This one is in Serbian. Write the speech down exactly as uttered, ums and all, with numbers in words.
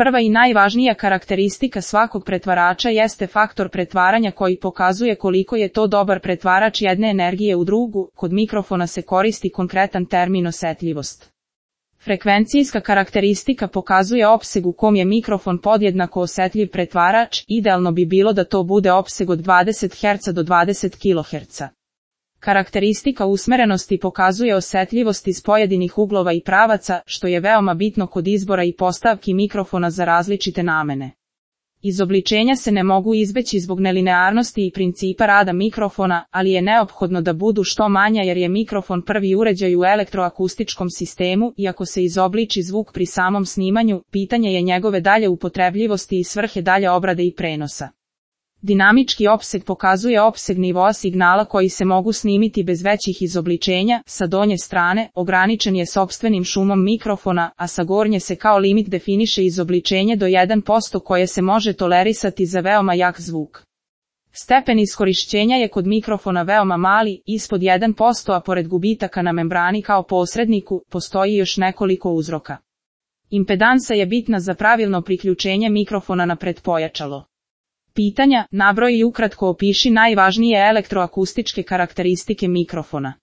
Prva i najvažnija karakteristika svakog pretvarača jeste faktor pretvaranja koji pokazuje koliko je to dobar pretvarač jedne energije u drugu. Kod mikrofona se koristi konkretan termin osetljivost. Frekvencijska karakteristika pokazuje opseg u kom je mikrofon podjednako osetljiv pretvarač, idealno bi bilo da to bude opseg od dvadeset herca do dvadeset kiloherca. Karakteristika usmerenosti pokazuje osetljivost iz pojedinih uglova i pravaca, što je veoma bitno kod izbora i postavki mikrofona za različite namene. Izobličenja se ne mogu izbeći zbog nelinearnosti i principa rada mikrofona, ali je neophodno da budu što manja jer je mikrofon prvi uređaj u elektroakustičkom sistemu i ako se izobliči zvuk pri samom snimanju, pitanje je njegove dalje upotrebljivosti i svrhe dalje obrade i prenosa. Dinamički opseg pokazuje opseg nivoa signala koji se mogu snimiti bez većih izobličenja, sa donje strane ograničen je sopstvenim šumom mikrofona, a sa gornje se kao limit definiše izobličenje do jedan posto koje se može tolerisati za veoma jak zvuk. Stepen iskorišćenja je kod mikrofona veoma mali, ispod jedan posto, a pored gubitaka na membrani kao posredniku, postoji još nekoliko uzroka. Impedansa je bitna za pravilno priključenje mikrofona na pretpojačalo. Pitanja, nabroji i ukratko opiši najvažnije elektroakustičke karakteristike mikrofona.